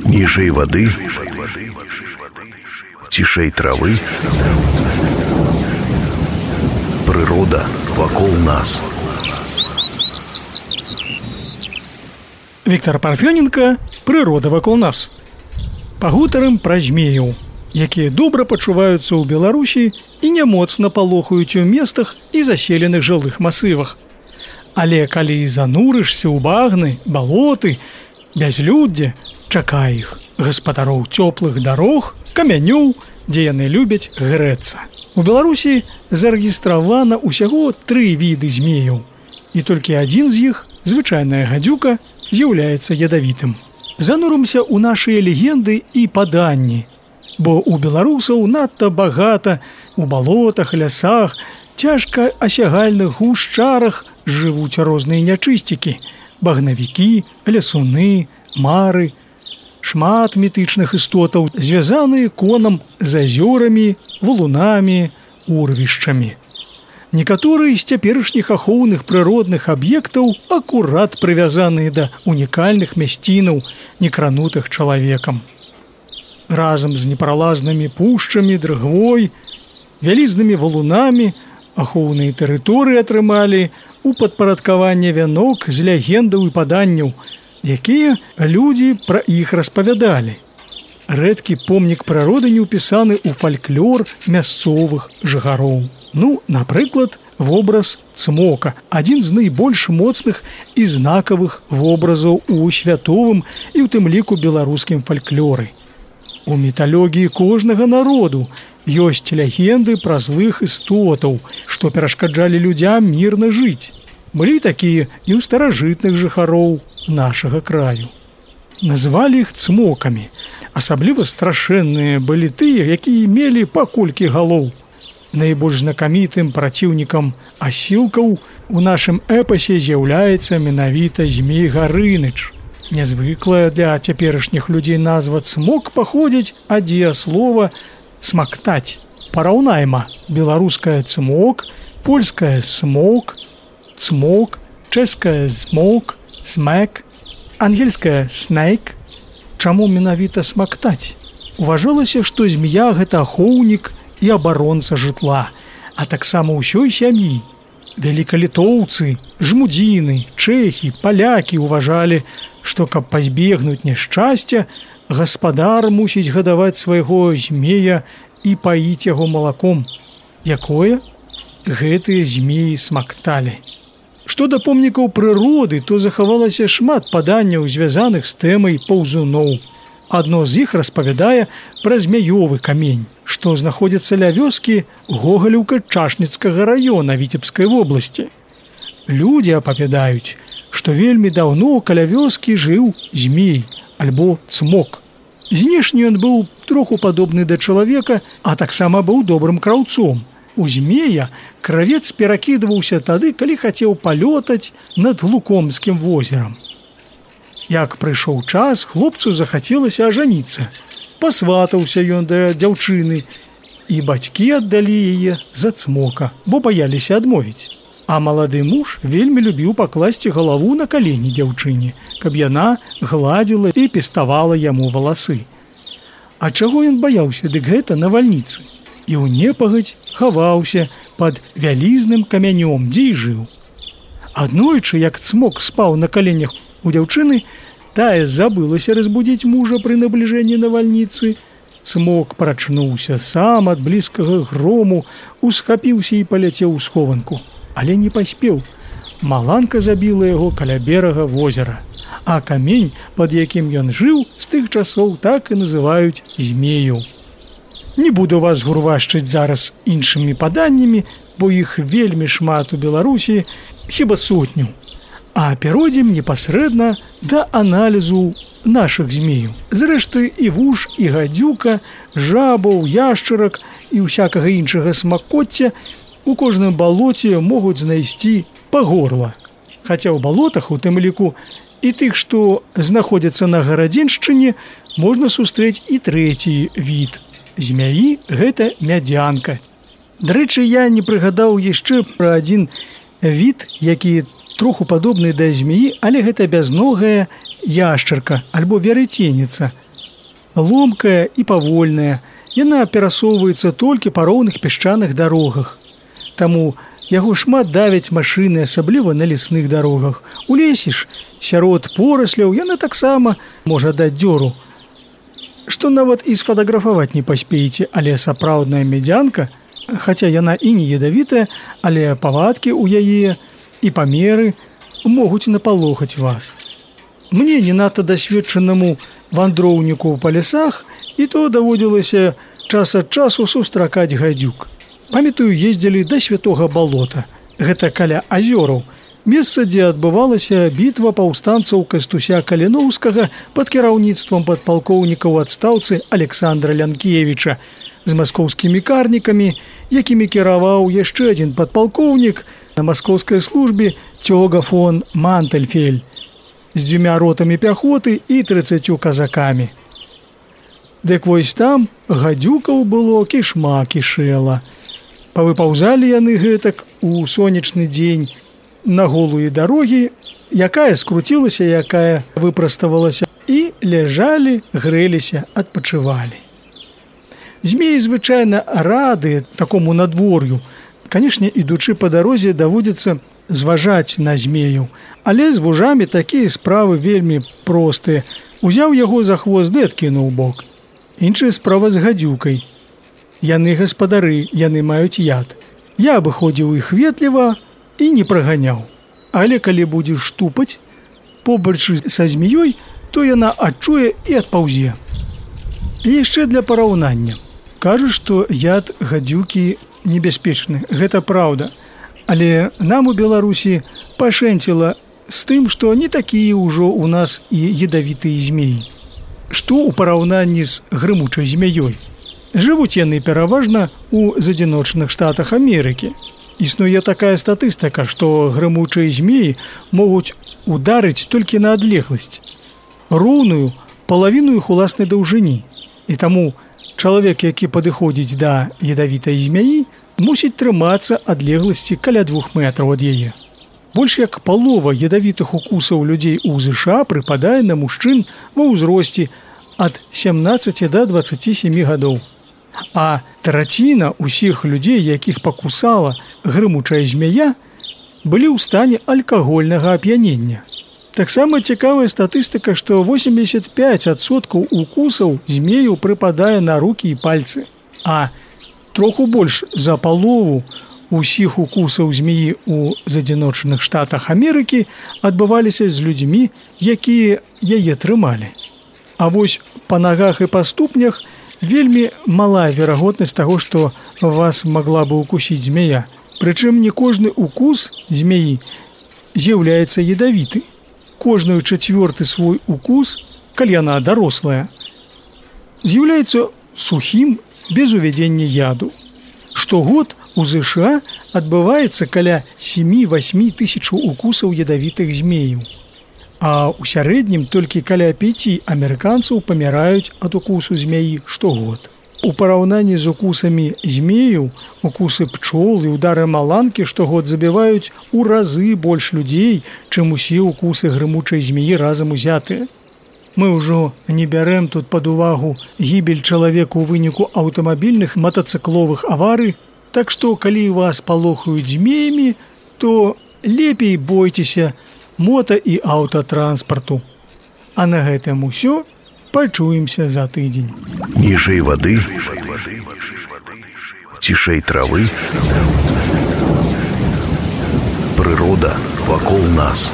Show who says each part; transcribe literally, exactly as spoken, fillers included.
Speaker 1: Ніжэй вады, цішэй травы, прырода вакол нас.
Speaker 2: Віктор Парфёненко, «Прырода вакол нас». Пагутарым пра змеяў, якія добра пачуваюцца ў Беларусі і няmoцна палохаюць у местах і заселеных жылых масывах. Але калі занурышся ў багны, балоты, бязлюддзе, чакай іх, гаспадароў цёплых дарог, камянёў, дзе яны любяць грэцца. У Беларусі зарэгістравана ўсяго тры віды змеяў, і толькі адзін з іх, звычайная гадзюка, з'яўляецца ядавітым. Занурымся ў нашыя легенды і паданні, бо ў беларусаў надта багата у балотах, лясах, цяжка асягальных гушчарах жывуць розныя нячысцікі, багнавікі, лясуны, мары, шмат мітычных істотаў, звязаныя конам з азёрамі, валунамі, урвішчамі. Некаторыя з цяперашніх ахоўных прыродных аб'ектаў акурат прывязаныя да унікальных мясцінаў, некранутых чалавекам. Разам з непралазнымі пушчамі, дрыгвой, вялізнымі валунамі ахоўныя тэрыторыі атрымалі у падпарадкаванне вянок з легендаў і паданняў, якія людзі пра іх распавядалі. Рэдкі помнік прыроды не ўпісаны ў фальклор мясцовых жыхароў. Ну, напрыклад, вобраз цмока, адзін з найбольш моцных і знакавых вобразаў у святовым і ў тым ліку беларускім фальклоры. У міталогіі кожнага народу ёсць легенды пра злых істотаў, што перашкаджалі людзям мірна жыць. Былі такія і ў старажытных жыхароў нашага краю. Называлі іх цмокамі. Асабліва страшэнныя былі тыя, якія мелі па колькі галоў. Найбольш знакамітым праціўнікам асілкаў у нашым эпасе з'яўляецца менавіта Змей Гарыныч. Нязвыклая для цяперашніх людзей назва цмок паходзіць ад дзеяслова «смактаць». Параўнайма: беларуская цмок, польская смок, цмок, чэшская змок, смэк, ангельская снэйк. Чаму менавіта смактаць? Уважалася, што змея – гэта ахоўнік і абаронца жытла, а таксама ўсёй сям'і. Вялікалітоўцы, жмудзіны, чэхі, палякі ўважалі, што каб пазбегнуць няшчасця, гаспадар мусіць гадаваць свайго змея і паіць яго малаком. Якое? Гэтыя змеі смакталі. Што да помнікаў прыроды, то захавалася шмат паданняў, звязаных з тэмай паўзуноў. Адно з іх распавядае пра змяёвы камень, што знаходзіцца ля вёскі Гогалеўка Чашніцкага раёна Віцебскай вобласці. Людзі апавядаюць, што вельмі даўно каля вёскі жыў змей альбо цмок. Знешне ён быў троху падобны да чалавека, а таксама быў добрым краўцом. У змея кравец перакідваўся тады, калі хацеў палётаць над Лукомскім возерам. Як прыйшоў час, хлопцу захацелася ажаніцца. Пасватаўся ён да дзяўчыны, і бацькі аддалі яе за цмока, бо баяліся адмовіць. А малады муж вельмі любіў пакласці галаву на калені дзяўчыне, каб яна гладзіла і пеставала яму валасы. А чаго ён баяўся, дык гэта навальніцы. І ў непагадзь хаваўся пад вялізным камянём, дзе і жыў. Аднойчы, як цмок спаў на каленях у дзяўчыны, тая забылася разбудзіць мужа пры набліжэнні навальніцы. Цмок прачнуўся сам ад блізкага грому, усхапіўся і паляцеў у схованку. Але не паспеў. Маланка забіла яго каля берага возера. А камень, пад якім ён жыў, з тых часоў так і называюць змею. Не буду вас гурвашчыць зараз іншымі паданнямі, бо іх вельмі шмат у Беларусі, хіба сотню. А перайдзем непасрэдна да аналізу нашых змеяў. Зрэшты, і вуж, і гадзюка, жабаў, яшчарак і ўсякага іншага смакоцця у кожным балоце могуць знайсці па горла. Хаця ў балотах, у тым ліку, і тых, што знаходзяцца на гарадзеншчыне, можна сустрэць і трэці від. Змяі – гэта мядзянка. Дарэчы, я не прыгадаў яшчэ пра адзін від, які троху падобны да змеі, але гэта бязногая яшчарка альбо верыценіца, ломкая і павольная. Яна перасоўваецца толькі па роўных пясчаных дарогах. Таму яго шмат давяць машыны, асабліва на лясных дарогах. У лесе ж, сярод порасляў, яна таксама можа даць дзёру. Што нават і сфотаграфаваць не паспееце, але сапраўдная медзянка, хаця яна і не ядавітая, але павадкі ў яе і памеры могуць напалохаць вас. Мне, не надта дасведчанаму вандроўніку па лясах, і то даводзілася час ад часу сустракаць гадзюк. Памятаю, ездзілі да Святога Балота. Гэта каля азёраў. Месца, дзе адбывалася бітва паўстанцаў Кастуся Каліноўскага пад кіраўніцтвам падпалкоўніка ў адстаўцы Александра Лянкевіча з маскоўскімі карнікамі, якімі кіраваў яшчэ адзін падпалкоўнік на маскоўскай службе Цёга фон Мантельфель з дзвюма ротамі пяхоты і трыццаццю казакамі. Дык вось там гадзюкаў было кішма кішэла. Павыпаўзалі яны гэтак у сонечны дзень на голыя дарогі, якая скруцілася, якая выпраставалася, і ляжалі, грэліся, адпачывалі. Змеі звычайна рады такому надвор'ю. Канешне, ідучы па дарозе, даводзіцца зважаць на змеяў, але з вужамі такія справы вельмі простыя. Узяў яго за хвост ды адкінуў бок. Іншая справа з гадзюкай. Яны гаспадары, яны маюць яд. Я абыходзіў іх ветліва і не праганяў. Але калі будзеш штупаць побач са змеёй, то яна адчуе і адпаўзе. І яшчэ для параўнання. Кажуць, што яд гадзюкі небяспечны. Гэта праўда. Але нам у Беларусі пашэнціла з тым, што не такія ўжо ў нас і ядавітыя змеі. Што ў параўнанні з грымучай змяёй? Жывуць яны пераважна ў адзіночных штатах Амерыкі. Існуе такая статыстыка, што грымучыя змеі могуць ударыць толькі на адлегласць, роўную палавіну іх уласнай даўжыні. І таму чалавек, які падыходзіць да ядавітай змяі, мусіць трымацца адлегласці каля двух метраў ад яе. Больш як палова ядавітых укусаў людзей у ЗША прыпадае на мужчын ва ўзросце ад сямнаццаці да дваццаці сямі гадоў. А траціна ўсіх людзей, якіх пакусала грымучая змяя, былі ў стане алкагольнага ап'янення. Таксама цікавая статыстыка, што восемьдесят пять адсоткаў укусаў змею прыпадае на рукі і пальцы, а троху больш за палову усіх укусаў змеі ў адзіночных штатах Амерыкі адбываліся з людзьмі, якія яе трымалі. А вось па нагах і па ступнях вельмі малая верагоднасць таго, што вас магла бы укусіць змея. Прычым не кожны укус змеі з'яўляецца ядавіты. Кожную чацвёрты свой укус, калі яна дарослая, з'яўляецца сухім без увядзення яду. Штогод у ЗША адбываецца каля сем-восемь тысяч укусаў ядавітых змеяў. А ў сярэднім толькі каля пяці амерыканцаў паміраюць ад укусу змяі штогод. У параўнанні з укусамі змеяў, укусы пчол і удары маланкі штогод забіваюць у разы больш людзей, чым усе укусы грымучай змеі разам узятыя. Мы ўжо не бярэм тут пад увагу гібель чалавека ў выніку аўтамабільных матацыкловых аварый, так што калі вас палохаюць змеямі, то лепей бойцеся мото- і аўтатранспарту. А на гэтым усё. Пачуемся за тыдзень.
Speaker 1: Ніжэй вады, цішэй травы, прырода вакол нас.